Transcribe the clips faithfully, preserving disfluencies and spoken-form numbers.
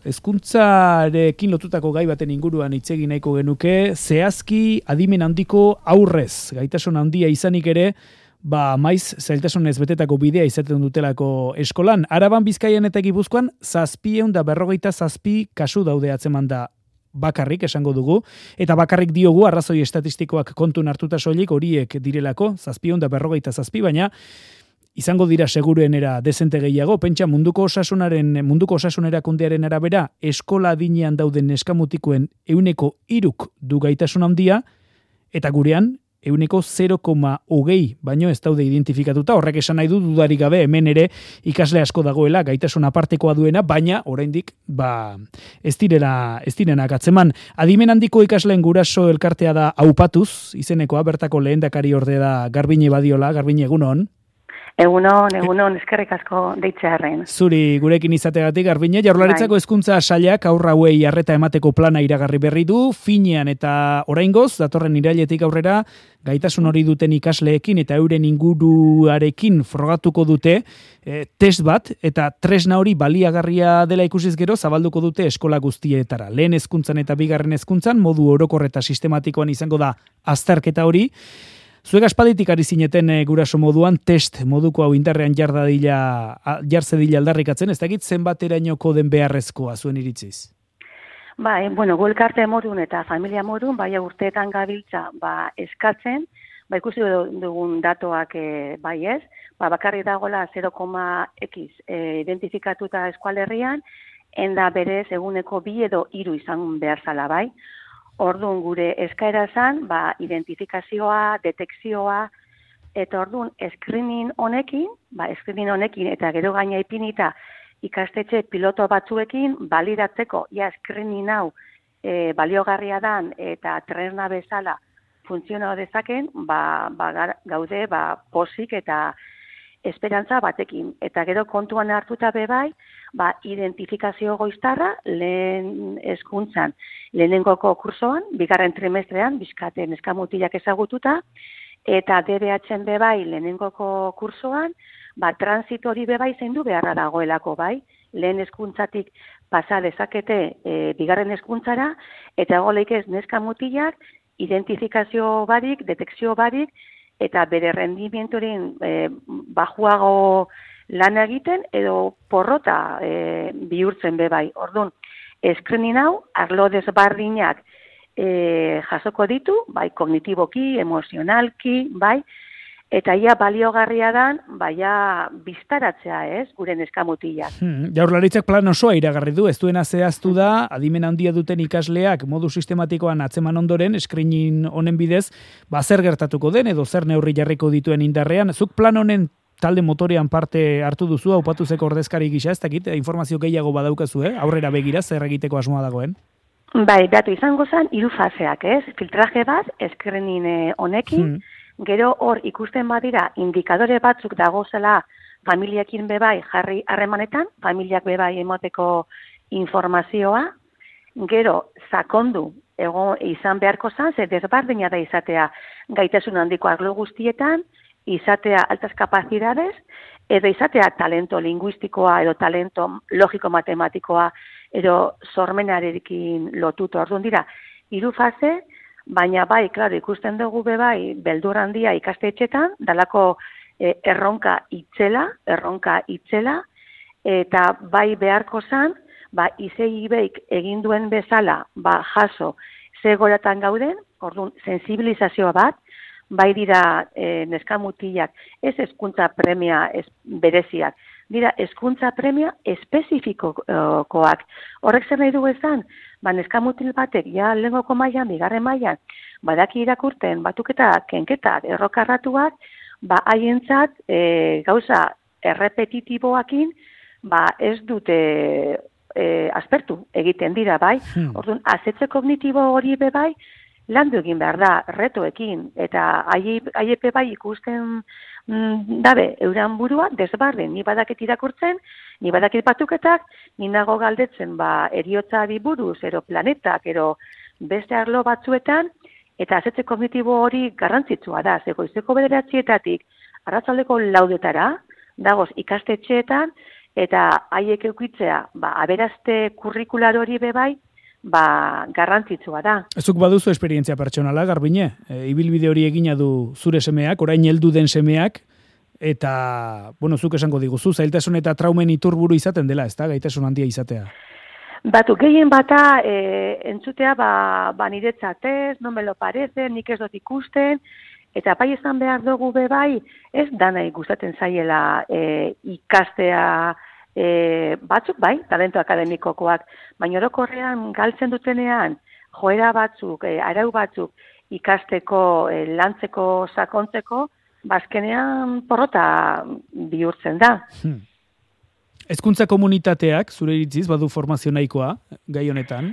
Hezkuntzarekin lotutako gai baten inguruan hitz egin nahiko genuke, zehazki adimen handiko aurrez, gaitasun handia izanik ere, ba maiz zailtasunez betetako bidea izaten dutelako eskolan. Araban, Bizkaian eta Gipuzkoan zazpiehun da berrogeita zazpi kasu daude atzeman da bakarrik esango dugu, eta bakarrik diogu arrazoi estatistikoak kontun hartuta soilik horiek direlako, zazpiehun da berrogeita zazpi, baina izango dira seguruenera dezente gehiago. Pentsa munduko osasunaren munduko osasunerakundearen arabera eskola adinean dauden neskamutikoen ehuneko hiruk du gaitasun handia, eta gurean ehuneko zero koma hogei baino ez daude identifikatuta. Horrek esan nahi du dudarik gabe hemen ere ikasle asko dagoela gaitasun apartekoa duena, baina oraindik ba ez direla ez direnak atzeman. Adimen handiko ikasleen guraso elkartea da Aupatuz izenekoa, bertako lehendakari orde da Garbine Badiola. Garbine, egunon. Egunon, egunon, eskerrik asko deitzearren. Zuri gurekin izategatik, Garbine. Jaurlaritzako hezkuntza sailak haur hauei arreta emateko plana iragarri berri du, finean eta oraingoz, datorren irailetik aurrera, gaitasun hori duten ikasleekin eta euren inguruarekin frogatuko dute e, test bat, eta tresna hori baliagarria dela ikusiz gero zabalduko dute eskola guztietara. Lehen hezkuntzan eta bigarren hezkuntzan modu orokor eta sistematikoan izango da azterketa hori. Zuek aspalditik ari zineten e, guraso moduan test moduko hau indarrean jardadila, jartze dila aldarrikatzen, ez dakit zenbaterainoko den beharrezkoa zuen iritziz? Bai, bueno, gu elkarte modun eta familia modun, bai urteetan gabiltza ba, eskatzen, ba ikusi dugun datoak e, bai ez, ba, bakarrik dagoela zero koma x e, identifikatuta eskualerrian, enda berez eguneko bi edo hiru izan behar zala bai. Orduan gure eskaera zan, ba, identifikazioa, detekzioa, eta orduan screening honekin, ba, screening honekin eta gero gaina ipinita ikastetxe piloto batzuekin balidatzeko, ja screening hau e, baliogarria dan eta tresna bezala funtzionau dezaken, ba, ba, gaude ba, posik eta esperantza batekin. Eta gero kontuan hartuta bebai, ba, identifikazio goiztarra lehen hezkuntzan, lehenengoko kursoan, bigarren trimestrean, bizkaten eskamutilak ezagututa, eta D B H-en bebai lehenengoko kursoan, ba, transitori bebai zendu beharra dagoelako bai, lehen hezkuntzatik pasa dezakete e, bigarren hezkuntzara, eta goleik ez neskamutilak, identifikazio barik, detekzio barik, eta bere rendimientoren e, bajuago lan egiten edo porrota e, bihurtzen bebai. Orduan, screening hau, arlo desbardinak e, jasoko ditu, bai kognitiboki, emozionalki, bai, eta ia baliogarria dan, baia biztaratzea ez, gure neskamutilak. Hmm, Jaurlaritzak plan osoa iragarri du, ez duena zehaztu da, adimen handia duten ikasleak modu sistematikoan atzeman ondoren, screening honen bidez, ba zer gertatuko den edo zer neurri jarriko dituen indarrean. Zuk plan honen talde motorean parte hartu duzu, Aupatuzeko ordezkari gisa, ez dakit, informazio gehiago badaukazu, eh? Aurrera begira, zer egiteko asmoa dagoen? Bai, datu izango zen, hiru faseak, ez? Filtraje bat, screening honekin, hmm. Gero hor ikusten badira indikadore batzuk dagozela familiakin bebai jarri harremanetan, familiak bebai emoteko informazioa, gero sakondu ego izan beharko zan, ze desbardina da izatea gaitasun handiko arlo guztietan, izatea altas capacidades, edo izatea talento linguistikoa edo talento logiko-matematikoa edo sormenarekin lotuto. Orduan dira, hiru fase, baina bai, klaro, ikusten dugu bebai, beldur handia ikastetxetan, dalako e, erronka itzela, erronka itzela, eta bai beharko zan, ba, izei beik egin duen bezala, ba, jaso, ze goratan gauden, orduan, sensibilizazioa bat, bai dira e, neskamutilak, ez hezkuntza premia ez, bereziak, dira hezkuntza premia espezifikokoak. Horrek zer nahi dugu ezan, ba, neskamutil batek, ja lehengoko mailan, bigarren mailan, badaki irakurten, batuketak, kenketak, errokarratuak, ba, haientzat e, gauza errepetitiboakin, ba, ez dute e, aspertu egiten dira, bai. Hmm. Orduan, azetze kognitibo hori bebai, landu egin behar da, retoekin, eta haiepe bai ikusten mm, dabe, euran burua, desbarden, ni badakit irakurtzen, ni badakit batuketak, ni nago galdetzen, ba, eriotzari buruz, ero planetak, ero beste arlo batzuetan, eta azetze kognitibo hori garrantzitsua da, zegoizeko bederatzietatik, arratzaldeko laudetara, dagoz ikastetxeetan, eta haiek eukitzea, ba, aberazte kurrikular hori bebai, ba, garrantzitsua da. Ezuk baduzu esperientzia pertsonala, Garbine? E, ibilbide hori egina du zure semeak, orain heldu den semeak, eta, bueno, zuk esango diguzu, zailtasun eta traumen iturburu izaten dela, ez da, gaitasun handia izatea? Batu, gehien bata e, entzutea, ba, ba niretzat ez, no me lo parece, nik ez dut ikusten, eta bai izan behar dugu bebai, ez dana gustatzen zaiela e, ikastea e, batzuk, bai, talento akademikokoak, baina orokorrean galtzen dutenean, joera batzuk, e, arau batzuk ikasteko, e, lantzeko, sakontzeko, bazkenean porrota bihurtzen da. Hmm. Hezkuntza komunitateak, zure iritziz, badu formazio nahikoa, gai honetan?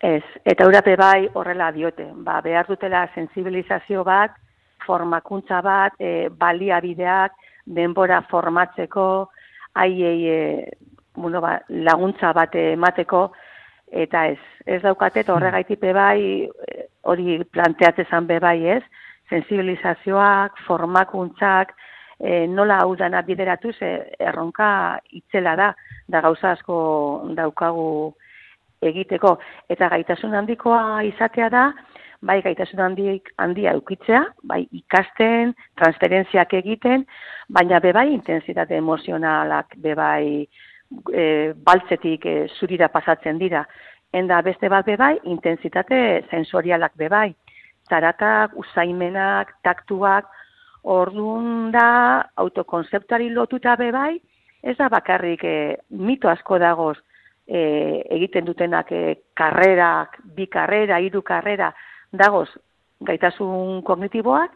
Ez, eta urape bai horrela diote. Ba, behar dutela sensibilizazio bat, formakuntza bat, e, baliabideak, denbora formatzeko, haiei e, bueno, ba, laguntza bat emateko, eta ez, ez daukate, eta horregaitik bai, hori planteatzezan be bai ez, sensibilizazioak, formakuntzak, e, nola hau dana bideratuz e, erronka itzela da, da gauza asko daukagu egiteko. Eta gaitasun handikoa izatea da, bai gaitasun handik, handia eukitzea, bai ikasten, transferentziak egiten, baina bebai intensitate emozionalak bebai e, baltzetik e, zurira pasatzen dira. Enda beste bat bebai, intensitate sensorialak bebai. Zaratak, usaimenak, taktuak, orduan da autokonzeptuari lotuta bebai, ez da bakarrik e, mito asko dagoz e, egiten dutenak e, karrerak, bi karrera, hiru karrera, dagoz gaitasun kognitiboak,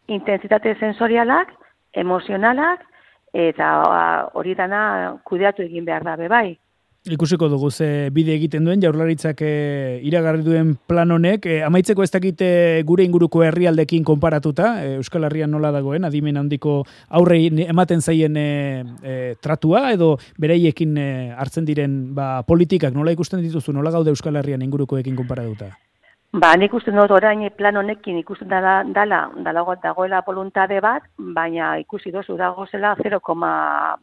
intensitate sensorialak, emozionalak, eta hori dana kudeatu egin behar da bebai. Ikusiko dugu ze bide egiten duen Jaurlaritzak e, iragarri duen plan honek, e, amaitzeko ez dakite gure inguruko herrialdekin konparatuta, e, Euskal Herrian nola dagoen, adimen handiko aurrei ematen zaien e, e, tratua, edo bereiekin e, hartzen diren ba, politikak nola ikusten dituzu, nola gaude Euskal Herrian ingurukoekin konparatuta? Ba, nik ikusten dut orain plan honekin ikusten dala, dala, dala dagoela voluntade bat, baina ikusi dozu dagozela zero koma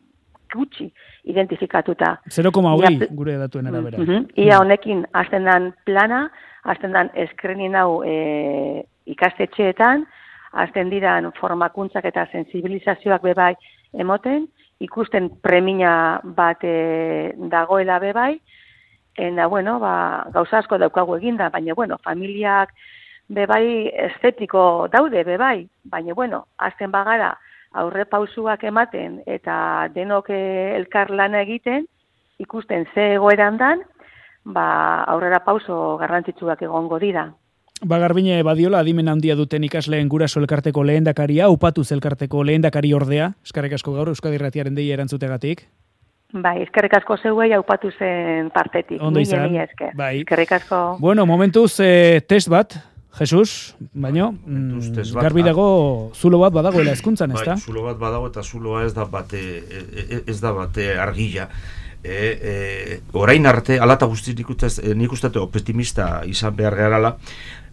gutxi identifikatuta. zero koma hogei gure datuen arabera. Uh -huh. Ia honekin hasten dan plana, hasten dan eskrenin hau e, ikastetxeetan, hasten diran formakuntzak eta sensibilizazioak bebai emoten, ikusten premina bat e, dagoela bebai, eta bueno, ba, gauza asko daukagu eginda, baina bueno, familiak bebai estetiko daude bebai, baina bueno, hasten bagara aurre pausuak ematen eta denok elkar lana egiten, ikusten ze egoeran dan, ba, aurrera pauso garrantzitsuak egongo dira. Ba, Garbine Badiola, adimen handia duten ikasleen guraso elkarteko lehendakaria, upatuz elkarteko lehendakari ordea, eskerrik asko gaur Euskadi Irratiaren deia erantzutegatik. Bai, eskerrik asko zeuei haupatu zen partetik. Ondo izan. Bai. Eskerrik asko. Bueno, momentuz eh, test bat, Jesus, baino, mm, garbi dago zulo bat badagoela hezkuntzan, ez da? Bai, zulo bat badago eta zuloa ez da bate, ez da bate argila. E, e, orain arte, alata guztiz nik ustate optimista izan behar garala,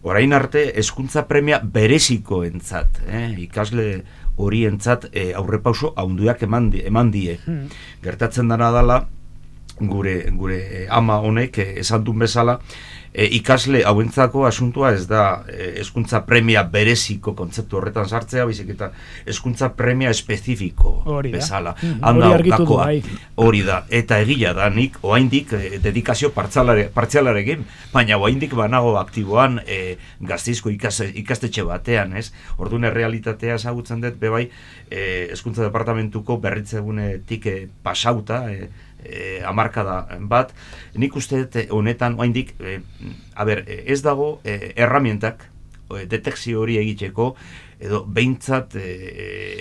orain arte hezkuntza premia bereziko entzat, eh? ikasle horientzat e, aurrepauso haunduak eman, eman die. Hmm. Gertatzen dena dela, gure, gure ama honek esan duen bezala, E, ikasle hauentzako asuntua ez da e, hezkuntza premia bereziko kontzeptu horretan sartzea, baizik eta hezkuntza premia espezifiko bezala. Handa hortakoa hori da. Eta egia da, nik oraindik e, dedikazio partzialarekin, baina oraindik banago aktiboan e, Gasteizko ikastetxe batean, ez? Orduan errealitatea ezagutzen dut bebai e, hezkuntza departamentuko berritzegunetik e, pasauta, e, E, amarkada bat, nik uste honetan oraindik e, a ber, ez dago e, erramientak e, detekzio hori egiteko edo behintzat e,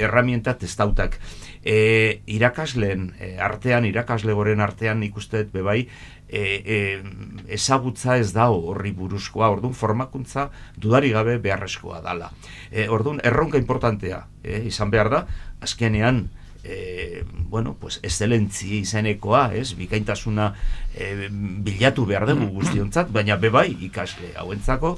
erramientak testautak e, irakasleen e, artean, irakasle goren artean nik uste bebai e, e, ezagutza ez da horri buruzkoa, orduan formakuntza dudari gabe beharrezkoa dala. E, orduan erronka importantea e, izan behar da, azkenean e, bueno, pues, excelentzi izenekoa, ez, bikaintasuna e, bilatu behar dugu guztiontzat, baina bebai ikasle hauentzako,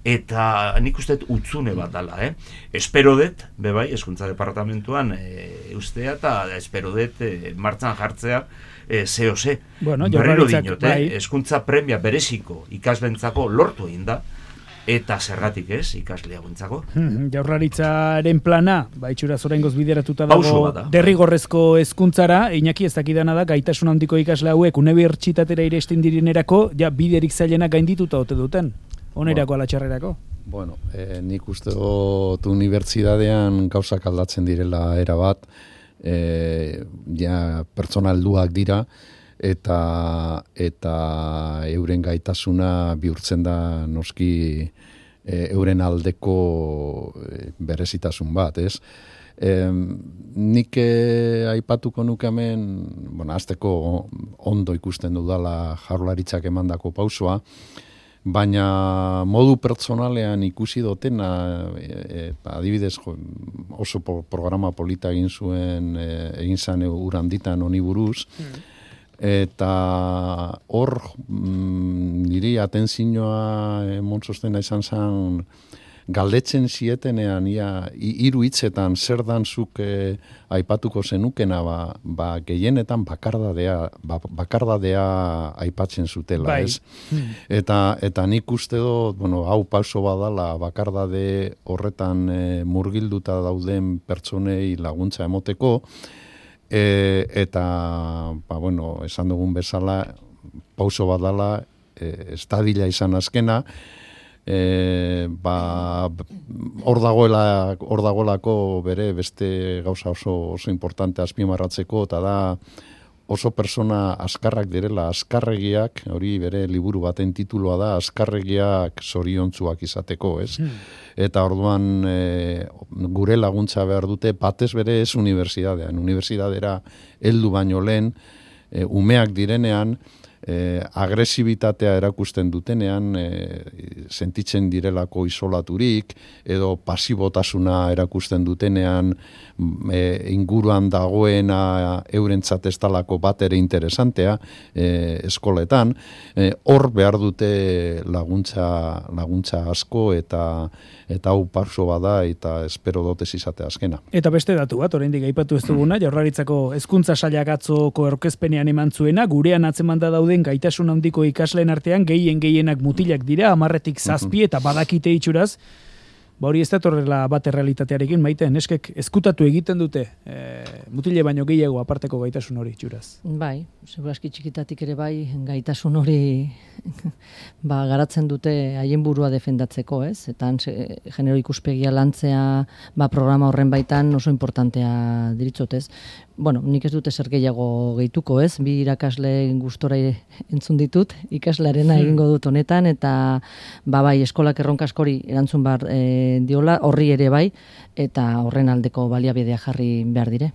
eta nik uste utzune bat dala, eh? Espero dut, bebai, Hezkuntza Departamentuan e, ustea, eta espero dut e, martzan jartzea e, zeo ze. Bueno, Berriro dinot, eh? Hezkuntza premia bereziko ikaslentzako lortu egin da, eta zergatik ez, ikasle hauentzako. Hmm, Jaurlaritzaren plana, ba, itxuraz oraingoz bideratuta dago da. derrigorrezko hezkuntzara, Iñaki ez dakidana da, gaitasun handiko ikasle hauek unibertsitatera iresten direnerako, ja, biderik zailena gaindituta ote duten, onerako ala txarrerako. Bueno, eh, nik uste dut unibertsitatean gauzak aldatzen direla erabat, eh, ja, pertsona helduak dira, eta eta euren gaitasuna bihurtzen da noski e, euren aldeko e, berezitasun bat, ez? E, nik e, aipatuko nuke hemen, bueno, azteko ondo ikusten dudala Jaurlaritzak emandako pausoa, baina modu pertsonalean ikusi dotena, e, e, adibidez jo, oso programa polita egin zuen, e, egin zan uranditan honi buruz, mm. Eta hor mm, niri atentzioa emon sostena izan zen galdetzen zietenean ia hiru hitzetan zer dan zuk eh, aipatuko zenukena ba, ba gehienetan bakardadea ba, bakardadea aipatzen zutela, bai. Ez? Hmm. Eta eta nik uste dut, bueno, hau pauso badala bakardade horretan eh, murgilduta dauden pertsonei laguntza emoteko. E, eta, ba, bueno, esan dugun bezala, pauso bat dala, e, estadila izan azkena, e, ba, hor dagoela, hor dagoelako bere beste gauza oso, oso importante azpimarratzeko, eta da oso persona askarrak direla, askarregiak, hori bere liburu baten tituloa da, askarregiak zoriontzuak izateko, ez? Hmm. Eta orduan e, gure laguntza behar dute, batez bere ez unibertsitatean. Unibertsitatera heldu baino lehen, e, umeak direnean, e, agresibitatea erakusten dutenean, e, sentitzen direlako isolaturik, edo pasibotasuna erakusten dutenean, e, inguruan dagoena eurentzat ez dalako bat ere interesantea, e, eskoletan, e, hor behar dute laguntza, laguntza asko, eta eta hau pauso bada, eta espero dotez izate azkena. Eta beste datu bat, oraindik aipatu ez duguna, Jaurlaritzako Hezkuntza Sailak atzoko aurkezpenean eman zuena, gurean atzemanda dauden gaitasun handiko ikasleen artean gehien gehienak mutilak dira, hamarretik zazpi, eta badakite itxuraz, ba hori ez datorrela bat errealitatearekin, maite, neskek ezkutatu egiten dute, e, mutile baino gehiago aparteko gaitasun hori itxuraz. Bai, seguraski txikitatik ere bai, gaitasun hori ba, garatzen dute haien burua defendatzeko, ez? Eta genero ikuspegia lantzea ba, programa horren baitan oso importantea diritzot, ez? Bueno, nik ez dute zer gehiago gehituko, ez? Bi irakasle gustora entzun ditut, ikaslearena egingo dut honetan, eta ba bai, eskolak erronka askori erantzun bar e, diola, horri ere bai, eta horren aldeko baliabidea jarri behar dire.